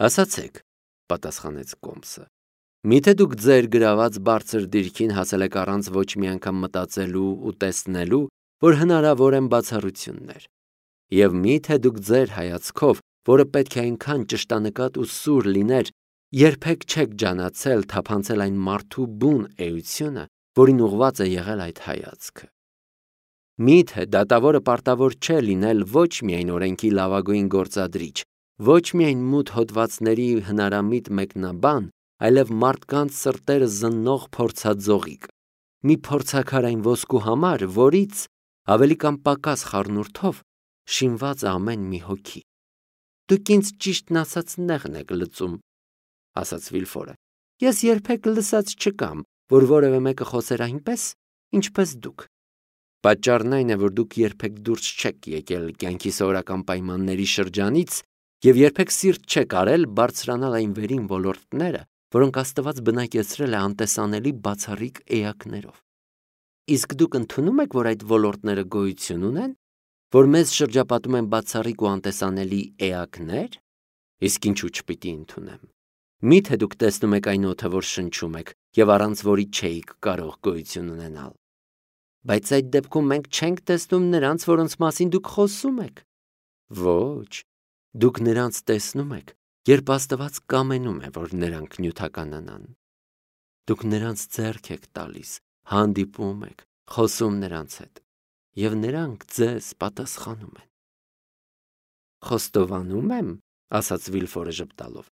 Ասացեք, պատասխանեց Կոմսը, միթե դուք ձեր գրաված բարձր դիրքին հասել եք առանց ոչ մի անգամ մտածելու ու տեսնելու, որ հնարավոր են բացառություններ, և միթե դուք ձեր հայացքով, որը պետք է այնքան ճշտանկատ ու սուր լիներ, երբեք չեք ջանացել թափանցել այն մարդու բուն էությունը, որին ուղված է եղել այդ հայացքը։ Միթե դատավորը պարտավոր չէ լինել ոչ միայն օրենքի լավագույն գործադրիչ, ոչ միայն մութ հոդվածների հնարամիտ մեկնաբան, այլև մարդկանց սրտերը զննող փորձաձողիկ, մի փորձաքարային ոսկու համար, որից ավելի կամ պակաս խառնուրդով շինված է ամեն մի հոգի։ Դուք ինձ ճիշտն ասած նեղն եք լծում, ասաց Վիլֆորը։ Ես երբեք լսած չկամ, որ որևէ մեկը խոսեր այնպես, ինչպես դուք։ Պատճառն այն է, որ դուք երբեք դուրս չեք եկել կյանքի սովորական պայմանների շրջանից և երբեք սիրտ չեք արել բարձրանալ այն վերին ոլորտները, որոնք Աստված բնակեցրել է անտեսանելի բացառիկ էակներով։ Իսկ դուք ընդունում եք, որ այդ ոլորտները գոյություն ունեն, որ մեզ շրջապատում են բացառիկ ու անտեսանելի էակներ, իսկ ինչու չպիտի ընդունեմ։ Միթե դուք տեսնում եք այն օդը, որ շնչում եք, և առանց որի չէիք կարող գոյություն ունենալ։ Բայց այդ դեպքում մենք չենք տեսնում նրանց, որոնց մասին դուք խոսում եք։ Ոչ, դուք նրանց տեսնում եք, երբ Աստված կամենում է, որ նրանք նյութականանան։ Դուք նրանց ձեռք եք տալիս, հանդիպում եք, խոսում նրանց հետ, և նրանք ձեզ պատասխանում են։ Խոստովանում եմ, ասաց Վիլֆորը ժպտալով,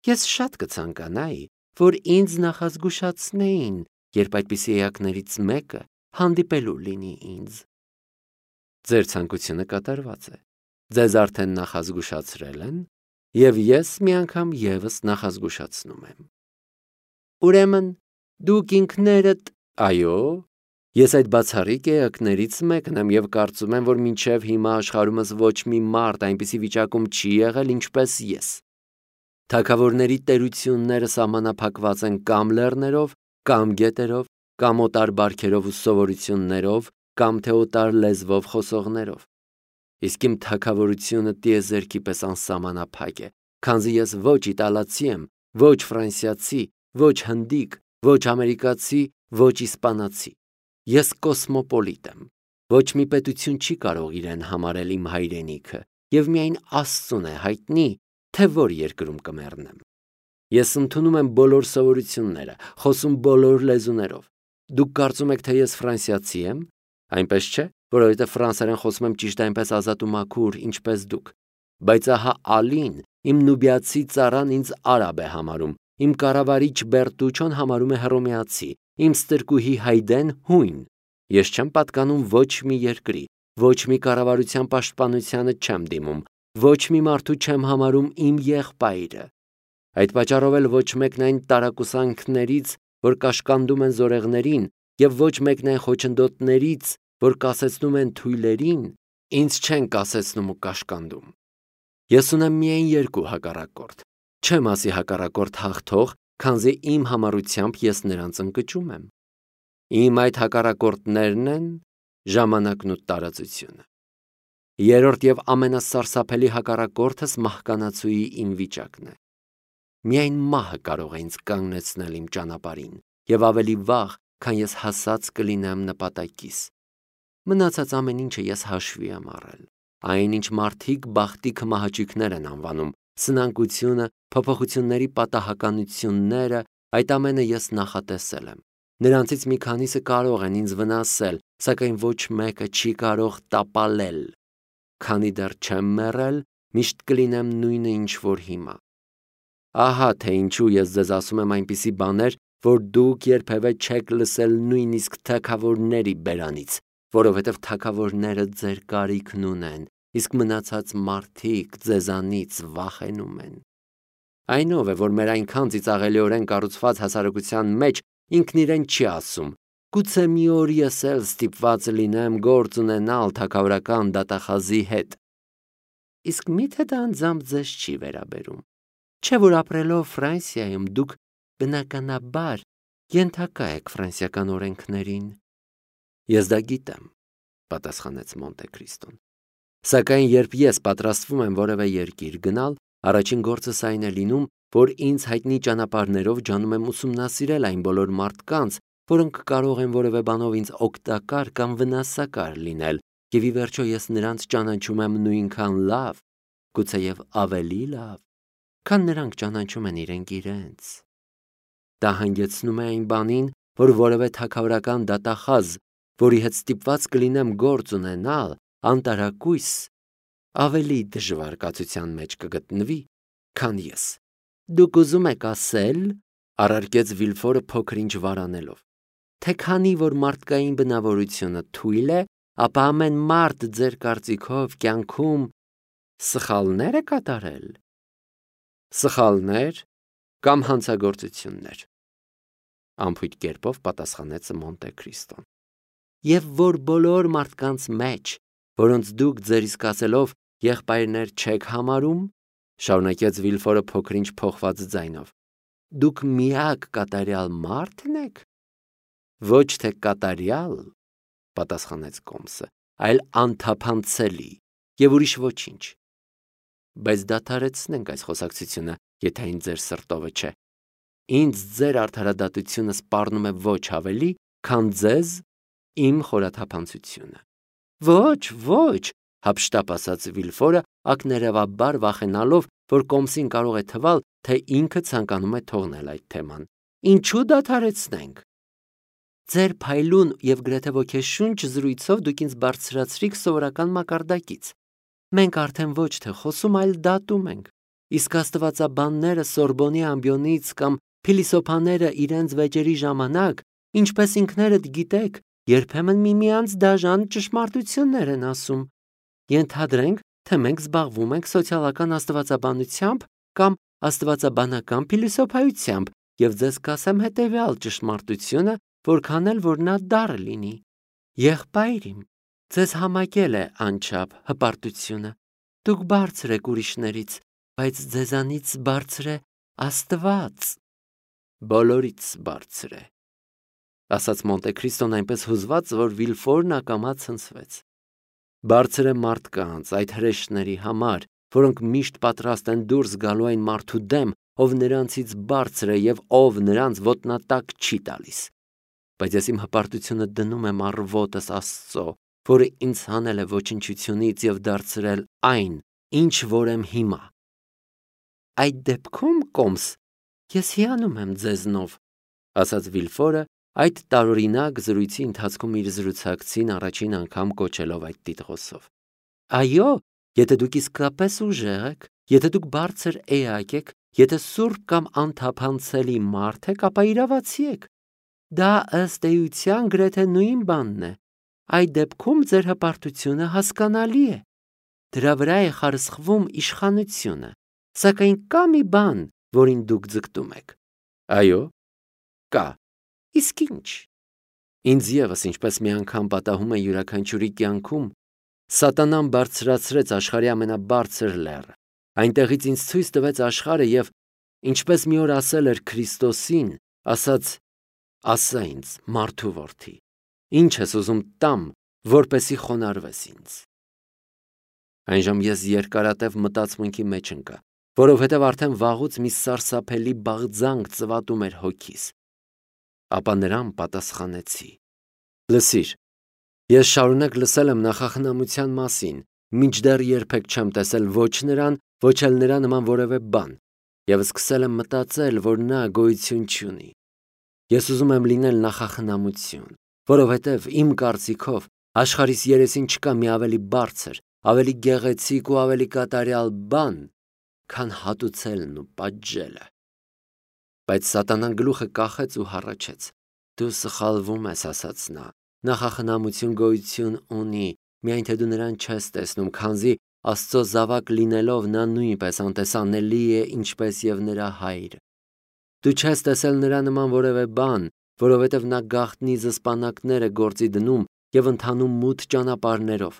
ես շատ կցանկանայի, որ ինձ նախազգուշացնեին, երբ այդպիսի էակներից մեկը հանդիպելու լինի ինձ։ Ձեր ցանկությունը կատարված է, ձեզ արդեն նախազգուշացրել են, և ես մի անգամ ևս նախազգուշացնում եմ։ Ուրեմն, դուք ինքներդ, այո, ես այդ բացառիկ էակներից մեկն եմ և կարծում եմ, որ մինչև հիմա աշխարհումս ոչ մի մարդ այնպիսի վիճակում չի եղել, ինչպես ես։ Թագավորների տերությունները սահմանափակված են կամ լեռներով, կամ գետերով, կամ օտար բարքերով ու սովորություններով, կամ թե օտար լեզվով խոսողներով։ Իսկ իմ թագավորությունը տիեզերքի պես անսահմանափակ է, քանզի ես ոչ իտալացի եմ, ոչ ֆրանսիացի, ոչ հնդիկ, ոչ ամերիկացի, ոչ իսպանացի։ Ես կոսմոպոլիտ եմ։ Ոչ մի պետություն չի կարող իրեն համարել իմ հայրենիքը, և միայն Աստծուն է հայտնի, թե որ երկրում կմեռնեմ։ Ես ընդունում եմ բոլոր սովորությունները, խոսում բոլոր լեզուներով։ Դուք կարծում եք, թե ես ֆրանսիացի եմ, այնպես չէ, որովհետև ֆրանսերեն խոսում եմ ճիշտ այնպես ազատ ու մաքուր, ինչպես դուք։ Բայց ահա Ալին, իմ նուբիացի ծառան ինձ արաբ է համարում, իմ կառավարիչ Բերտուչոն համարում է հռոմեացի, իմ ստրկուհի Հայդեն հույն։ Ես չեմ պատկանում ոչ մի երկրի, ոչ մի կառավարության պաշտպանությանը չեմ դիմում, ոչ մի մարդու չեմ համարում իմ եղբայրը։ Այդ պատճառով էլ ոչ մեկն այն տարակուսանքներից, որ կաշկանդում են զորեղներին, և ոչ մեկն այն խոչընդոտներից, որ կասեցնում են թույլերին, ինձ չեն կասեցնում ու կաշկանդում։ Ես ունեմ միայն երկու հակառակորդ, չեմ ասի հակառակորդ հաղթող, քանզի իմ համառությամբ ես նրանց ընկճում եմ։ Իմ այդ հակառակորդներն են ժամանակն ու տարածությունը։ Երրորդ և ամենասարսափելի հակառակորդս մահկանացուի իմ վիճակն է։ Միայն մահը կարող է ինձ կանգնեցնել իմ ճանապարհին, և ավելի վաղ, քան ես հասած կլինեմ նպատակիս։ Մնացած ամեն ինչը ես հաշվի եմ առել։ Այն, ինչ մարդիկ բախտի քմահաճույքներ են անվանում, սնանկությունը, փոփոխությունների պատահականությունները, այդ ամենը ես նախատեսել եմ։ Նրանցից մի քանիսը կարող են ինձ վնասել, սակայն ոչ մեկը չի կարող տապալել։ Քանի դեռ չեմ մեռել, միշտ կլինեմ նույնը, ինչ որ հիմա։ Ահա թե ինչու ես ձեզ ասում եմ այնպիսի բաներ, որ դուք երբևէ չեք լսել նույնիսկ թագավորների բերանից, որովհետև թագավորները ձեր կարիքն ունեն, իսկ մնացած մարդիկ ձեզանից վախենում են։ Այն ով է, որ մեր այնքան ծիծաղելիորեն կառուցված հասարակության մեջ ինքն իրեն չի ասում. գուցե մի օր ես էլ ստիպված լինեմ գործ ունենալ թագավորական դատախազի հետ։ Իսկ միթե դա անձամբ ձեզ չի վերաբերում։ Չէ՞ որ ապրելով Ֆրանսիայում դուք բնականաբար ենթակա եք ֆրանսիական օրենքներին։ Ես դա գիտեմ, պատասխանեց Մոնտե Քրիստոն։ Սակայն երբ ես պատրաստվում եմ որևէ երկիր գնալ, Առաջին գործս այն է լինում, որ ինձ հայտնի ճանապարհներով ջանում եմ ուսումնասիրել այն բոլոր մարդկանց, որոնք կարող են որևէ բանով ինձ օգտակար կամ վնասակար լինել, եւ ի վերջո ես նրանց ճանաչում եմ նույնքան լավ, գուցեև ավելի լավ, քան նրանք ճանաչում են իրենք իրենց։ Դա հանգեցնում է այն բանին, որ որևէ թագավորական դատախազ, որի հետ ստիպված կլինեմ գործ ունենալ, անտարակույս ավելի դժվար կացության մեջ կգտնվի, քան ես։ Դուք ուզում եք ասել, առարկեց Վիլֆորը փոքր-ինչ վարանելով, թե քանի որ մարդկային բնավորությունը թույլ է, ապա ամեն մարդ ձեր կարծիքով կյանքում սխալներ է կատարել։ Սխալներ կամ հանցագործություններ, անփույթ կերպով պատասխանեց Մոնտե Քրիստոն։ Եվ որ բոլոր մարդկանց մեջ, որոնց դուք ձեր իսկ ասելով եղբայրներ չեք համարում, շարունակեց Վիլֆորը փոքր-ինչ փոխված ձայնով, դուք միակ կատարյալ մարդն եք։ Ոչ թե կատարյալ, պատասխանեց Կոմսը, այլ անթափանցելի եւ ուրիշ ոչինչ։ Բայց դադարեցնենք այս խոսակցությունը, եթե այն ձեր սրտովը չէ։ Ինձ ձեր արդարադատությունը սպառնում է ոչ ավելի, քան ձեզ իմ խորաթափանցությունը։ Ոչ, հափշտապ ասաց Վիլֆորը, ակներևաբար վախենալով, որ Կոմսին կարող է թվալ, թե ինքը ցանկանում է թողնել այդ թեման։ Ինչու դադարեցնենք։ Ձեր փայլուն եւ գրեթե ոգեշունչ զրույցով դուք ինձ բարձրացրիք սովորական մակարդակից։ Մենք արդեն ոչ թե խոսում, այլ դատում ենք։ Իսկ աստվածաբանները Սորբոնի ամբիոնից կամ փիլիսոփաները իրենց վեճերի ժամանակ, ինչպես ինքներդ գիտեք, երբեմն միմյանց դաժան ճշմարտություններ են ասում։ Ենթադրենք, թե մենք զբաղվում ենք սոցիալական աստվածաբանությամբ կամ աստվածաբանական փիլիսոփայությամբ, եւ ձեզ կասեմ հետեւյալ ճշմարտությունը, որքան էլ որ նա դառը լինի։ Եղբայր իմ, ձեզ համակել է անչափ հպարտությունը։ Դուք բարձր եք ուրիշներից, բայց ձեզանից բարձր է Աստված։ Բոլորից բարձր է, ասաց Մոնտե Քրիստոն այնպես հուզված, որ Վիլֆորն ակամա ցնցվեց։ Բարձր է մարդկանց, այդ հրեշների համար, որոնք միշտ պատրաստ են դուրս գալու այն մարդու դեմ, ով նրանցից բարձր է եւ ով նրանց ոտնատակ չի տալիս։ Բայց ես իմ հպարտությունը դնում եմ առ ոտս Աստծո, որը ինձ հանել է ոչնչությունից եւ դարձրել այն, ինչ որ եմ հիմա։ Այդ դեպքում, Կոմս, ես հիանում եմ ձեզնով, ասաց Վիլֆորը, այդ տարօրինակ զրույցի ընթացքում իր զրուցակցին առաջին անգամ կոչելով այդ տիտղոսով։ Այո, եթե դուք իսկապես ուժեղ եք, եթե դուք բարձր էակ եք, եթե սուրբ կամ անթափանցելի մարդ եք, ապա իրավացի եք։ Դա ըստ էության գրեթե նույն բանն է։ Այդ դեպքում ձեր հպարտությունը հասկանալի է։ Դրա վրա է խարսխվում իշխանությունը, սակայն կա մի բան, որին դուք ձգտում եք։ Այո, կա։ Իսկ ինչ։ Ինձ եւս ինչպես մի անգամ պատահում է յուրաքանչյուրի կյանքում, Սատանան բարձրացրեց աշխարհի ամենաբարձր լեռը։ Այնտեղից ինձ ցույց տվեց աշխարհը եւ, ինչպես մի օր ասել էր Քրիստոսին, ասաց. «Ասա ինձ, մարդու որդի, ինչ ես ուզում տամ, որպեսի խոնարհվես ինձ»։ Այնժամ ես երկարատև մտածմունքի մեջ ընկա, որովհետև արդեն վաղուց մի սարսափելի բաղձանք ծվատում էր հոգիս։ Ապա նրան պատասխանեցի. «Լսիր, ես շարունակ լսել եմ նախախնամության մասին, մինչդեռ երբեք չեմ տեսել ոչ նրան, ոչ էլ նրա նման որևէ բան, եւ սկսել եմ մտածել, որ նա գոյություն չունի։ Ես ուզում եմ լինել նախախնամություն, որովհետև իմ կարծիքով աշխարհիս երեսին չկա մի ավելի բարձր, ավելի գեղեցիկ ու ավելի կատարյալ բան, քան հատուցելն ու պատժելը»։ Բայց Սատանան գլուխը կախեց ու հառաչեց. «Դու սխալվում ես», ասաց նա, «նախախնամություն գոյություն ունի, միայն թե դու նրան չես տեսնում, քանզի Աստծո զավակ լինելով նա նույնպես անտեսանելի է, ինչպես եւ նրա հայրը։ Դու չես տեսել նրա նման որևէ բան, որովհետև նա գաղտնի զսպանակներ է գործի դնում եւ ընթանում մութ ճանապարհներով։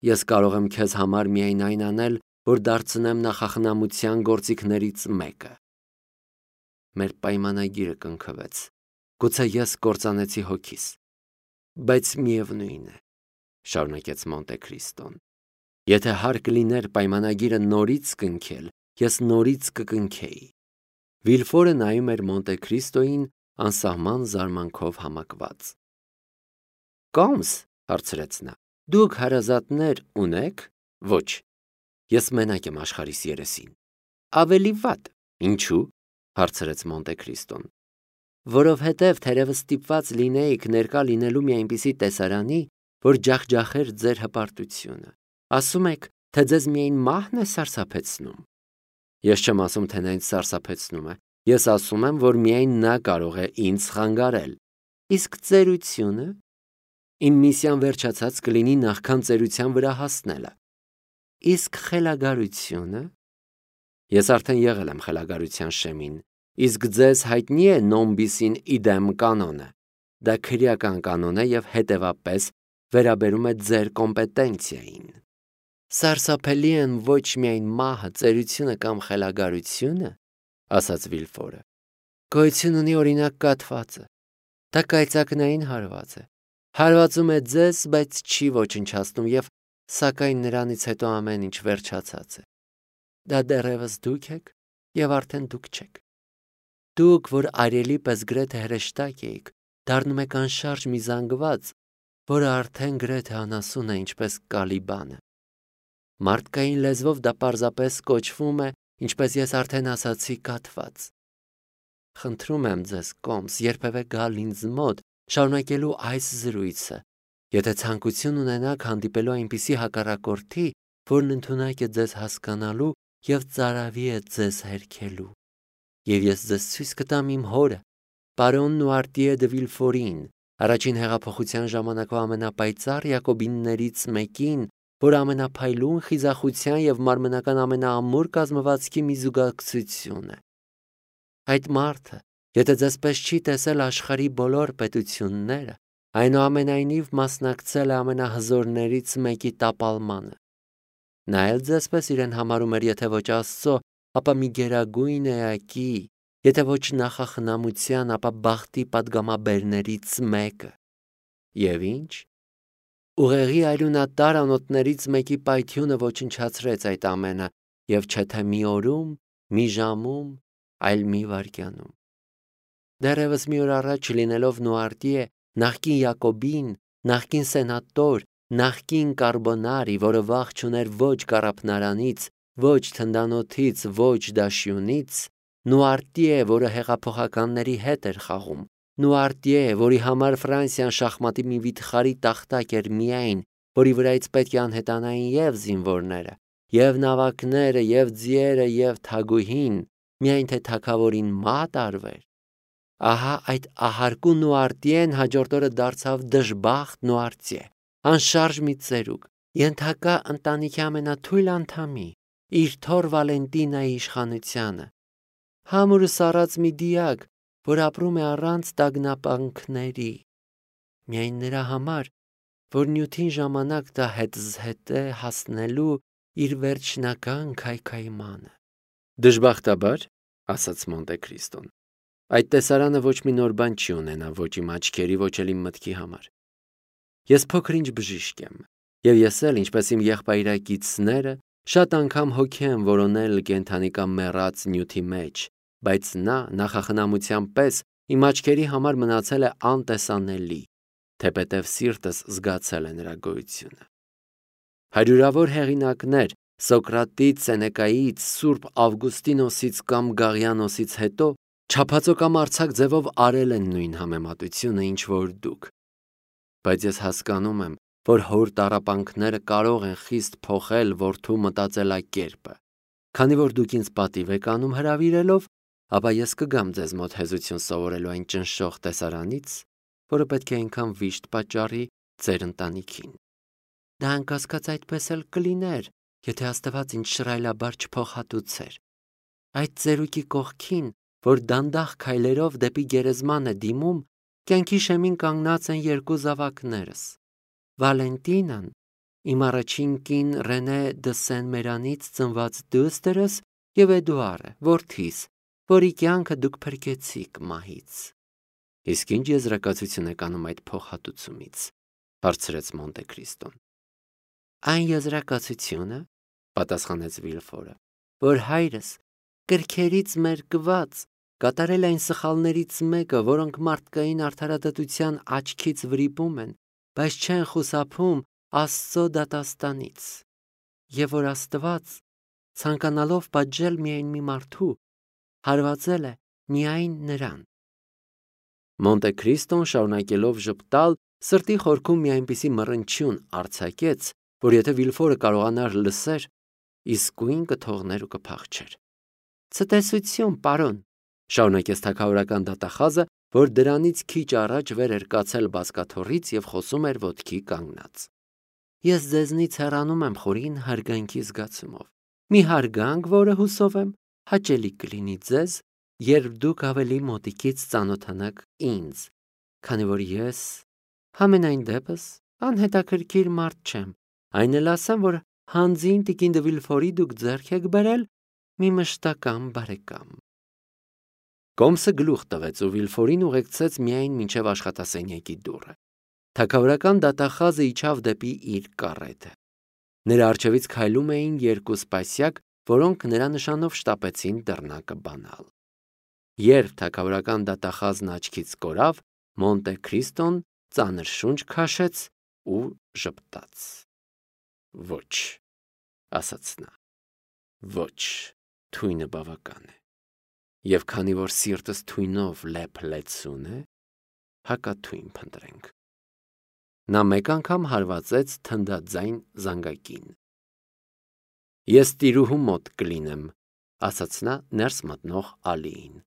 Ես կարող եմ քեզ համար միայն այն անել, որ դարձնեմ նախախնամության գործիքներից մեկը»։ Մեր պայմանագիրը կնքվեց։ Գուցե ես կործանեցի հոգիս, բայց միևնույն է, շարունակեց Մոնտե Քրիստոն, եթե հարկ լիներ պայմանագիրը նորից կնքել, ես նորից կկնքեի։ Վիլֆորը նայում էր Մոնտե Քրիստոյին անսահման զարմանքով համակված։ Կոմս, հարցրեց նա, դուք հարազատներ ունեք։ Ոչ, ես մենակ եմ աշխարհիս երեսին։ Ավելի վատ, ինչու՞, հարցրեց Մոնտե Քրիստոն։ Որովհետև թերևս ստիպված լինեիք ներկա լինելու մի այնպիսի տեսարանի, որ ջախջախեր ձեր հպարտությունը։ Ասում եք, թե ձեզ միայն մահն է սարսափեցնում։ Ես չեմ ասում, թե նա ինձ սարսափեցնում է։ Ես ասում եմ, որ միայն նա կարող է ինձ խանգարել։ Իսկ ծերությունը։ Իմ միսիան վերջացած կլինի նախքան ծերության վրա հասնելը։ Իսկ խելագարությունը։ Ես արդեն եղել եմ խելագարության շեմին։ Իսկ ձեզ հայտնի է նոմբիսին իդեմ կանոնը։ Դա քրեական կանոն է և հետևապես վերաբերում է ձեր կոմպետենցիային։ Սարսափելի են ոչ միայն մահը, ծերությունը կամ խելագարությունը, ասաց Վիլֆորը։ Գոյություն ունի օրինակ կաթվածը։ Դա կայծակնային հարված է։ Հարվածում է ձեզ, բայց չի ոչնչացնում և սակայն նրանից հետո ամեն ինչ վերջացած է։ Դա դեռևս դուք եք և արդեն դուք չեք։ Դուք, որ արյելի պես գրեթե հրեշտակ էիք, դառնում եք անշարժ մի զանգված, որը արդեն գրեթե անասուն է, ինչպես Կալիբանը։ Մարդկային լեզվով դա պարզապես կոչվում է, ինչպես ես արդեն ասացի, կաթված։ Խնդրում եմ ձեզ, Կոմս, երբևէ գալ ինձ մոտ, շարունակելու այս զրույցը, եթե ցանկություն ունենաք հանդիպելու այնպիսի հակառակորդի, որն ընդունակ է ձեզ հասկանալու և ծարավի է ձեզ հերքելու։ Եվ ես ձեզ ցույց կտամ իմ հորը, պարոն Նուարտիե դը Վիլֆորին, առաջին հեղափոխության ժամանակվա ամենապայծառ յակոբիններից մեկին, որ ամենափայլուն խիզախության և մարմնական ամենաամուր կազմվածքի մի զուգակցություն է։ Այդ մարդը, եթե ձեզ պես չի տեսել աշխարհի բոլոր պետությունները, այնուամենայնիվ մասնակցել է ամենահզորներից մեկի տապալմանը։ Նա էլ ձեզ պես իրեն համարում էր, եթե ոչ Աստծո, ապա մի գերագույն էակի, եթե ոչ նախախնամության, ապա բախտի պատգամաբերներից մեկը։ Եվ ինչ։ Ուղեղի այլունատար անոթներից մեկի պայթյունը ոչնչացրեց այդ ամենը, և չէ թե մի օրում, մի ժամում, այլ մի վայրկյանում։ Դեռևս մի օր առաջ լինելով Նուարտիե, նախկին Յակոբին, նախկին սենատոր, նախկին կարբոնարի, որը վախ չուներ ոչ կառափնարանից, ոչ թնդանոթից, ոչ դաշյունից, Նուարտիե, որը հեղափոխականների հետ էր խաղում, Նուարտիե, որի համար Ֆրանսիան շախմատի մի վիթխարի տախտակ էր միայն, որի վրայից պետք է անհետանային և զինվորները, և նավակները, և ձիերը, և թագուհին, միայն թե թագավորին մատ արվեր։ Ահա այդ ահարկու Նուարտիեն հաջորդ օրը դարձավ դժբախտ Նուարտիե, անշարժ մի ծերուկ, ենթակա ընտանիքի ամենաթույլ անդամի, իր թոռ Վալենտինայի իշխանությանը, համր ու սառած մի դիակ, որ ապրում է առանց տագնապանքների, միայն նրա համար, որ նյութին ժամանակ տա հետզհետե հասնելու իր վերջնական քայքայմանը։ Դժբախտաբար, ասաց Մոնտե Քրիստոն, այդ տեսարանը ոչ մի նոր բան չի ունենա ոչ իմ աչքերի, ոչ էլ իմ մտքի համար։ Ես փոքր-ինչ բժիշկ եմ, և ես էլ, ինչպես իմ եղբայրակիցները, շատ անգամ հոգի եմ որոնել կենդանի կամ մեռած նյութի մեջ, բայց նա նախախնամության պես իմ աչքերի համար մնացել է անտեսանելի, թեպետև սիրտս զգացել է նրա գոյությունը։ Հարյուրավոր հեղինակներ Սոկրատից, Սենեկայից, Սուրբ Ավգուստինոսից կամ Գաղիանոսից հետո չափածո կամ արձակ ձևով արել են նույն համեմատությունը, ինչ որ դուք։ Բայց ես հասկանում եմ, որ հոր տառապանքները կարող են խիստ փոխել որդու մտածելակերպը։ Քանի որ դուք ինձ պատիվ եք անում հրավիրելով, ապա ես կգամ ձեզ մոտ հեզություն սովորելու այն ճնշող տեսարանից, որը պետք է այնքան վիշտ պատճառի ձեր ընտանիքին։ Դա անկասկած այդպես էլ կլիներ, եթե Աստված ինձ շռայլաբար չփոխհատուցեր։ Այդ ծերուկի կողքին, որ դանդաղ քայլերով դեպի գերեզման է դիմում, կյանքի շեմին կանգնած են երկու զավակներս՝ Վալենտինան, իմ առաջին կին Ռենե դը Սեն-Մերանից ծնված դուստրս, և Էդուարը, որդիս, որի կյանքը դուք փրկեցիք մահից։ Իսկ ինչ եզրակացություն եք անում այդ փոխհատուցումից, հարցրեց Մոնտե Քրիստոն։ Այն եզրակացությունը, պատասխանեց Վիլֆորը, որ հայրս կրքերից մերկված կատարել այն սխալներից մեկը, որոնք մարդկային արդարադատության աչքից վրիպում են, բայց չեն խուսափում Աստծո դատաստանից, եւ որ Աստված, ցանկանալով պատժել միայն մի մարդու, հարվածել է միայն նրան։ Մոնտե Քրիստոն շարունակելով ժպտալ, սրտի խորքում մի այնպիսի մռնչյուն արձակեց, որ եթե Վիլֆորը կարողանար լսեր, իսկույն կթողներ ու կփախչեր։ Ցտեսություն, պարոն, շարունակեց թագավորական դատախազը, որ դրանից քիչ առաջ վեր էր կացել բազկաթոռից եւ խոսում էր ոտքի կանգնած։ Ես ձեզնից հեռանում եմ խորին հարգանքի զգացումով։ Մի հարգանք, որը հուսով եմ հաճելի կլինի ձեզ, երբ դուք ավելի մոտիկից ծանոթանաք ինձ, քանի որ ես համենայն դեպս անհետաքրքիր մարդ չեմ, այն էլ ասեմ, որ հանձին տիկին դե Վիլֆորի դուք ձեռք եք բերել մի մշտական բարեկամ։ Կոմսը գլուխ տվեց ու Վիլֆորին ուղեկցեց միայն մինչև աշխատասենյակի դուռը։ Թագավորական դատախազը իջավ դեպի իր կառետը։ Նրա առջևից քայլում էին երկու սպասյակ, որոնք նրա նշանով շտապեցին դռնակը բանալ։ Երբ թագավորական դատախազն աչքից կորավ, Մոնտե Քրիստոն ծանր շունչ քաշեց ու ժպտաց։ Ոչ, ասաց նա, ոչ, թույնը բավական է։ Եվ քանի որ սիրտս թույնով լեփ-լեցուն է, հակաթույն փնտրենք։ Նա մեկ անգամ հարվածեց թնդաձայն զանգակին։ Ես տիրուհու մոտ կլինեմ, ասաց նա ներս մտնող Ալիին,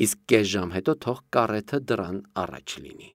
իսկ կես ժամ հետո թող կառեթը դռան առաջ լինի։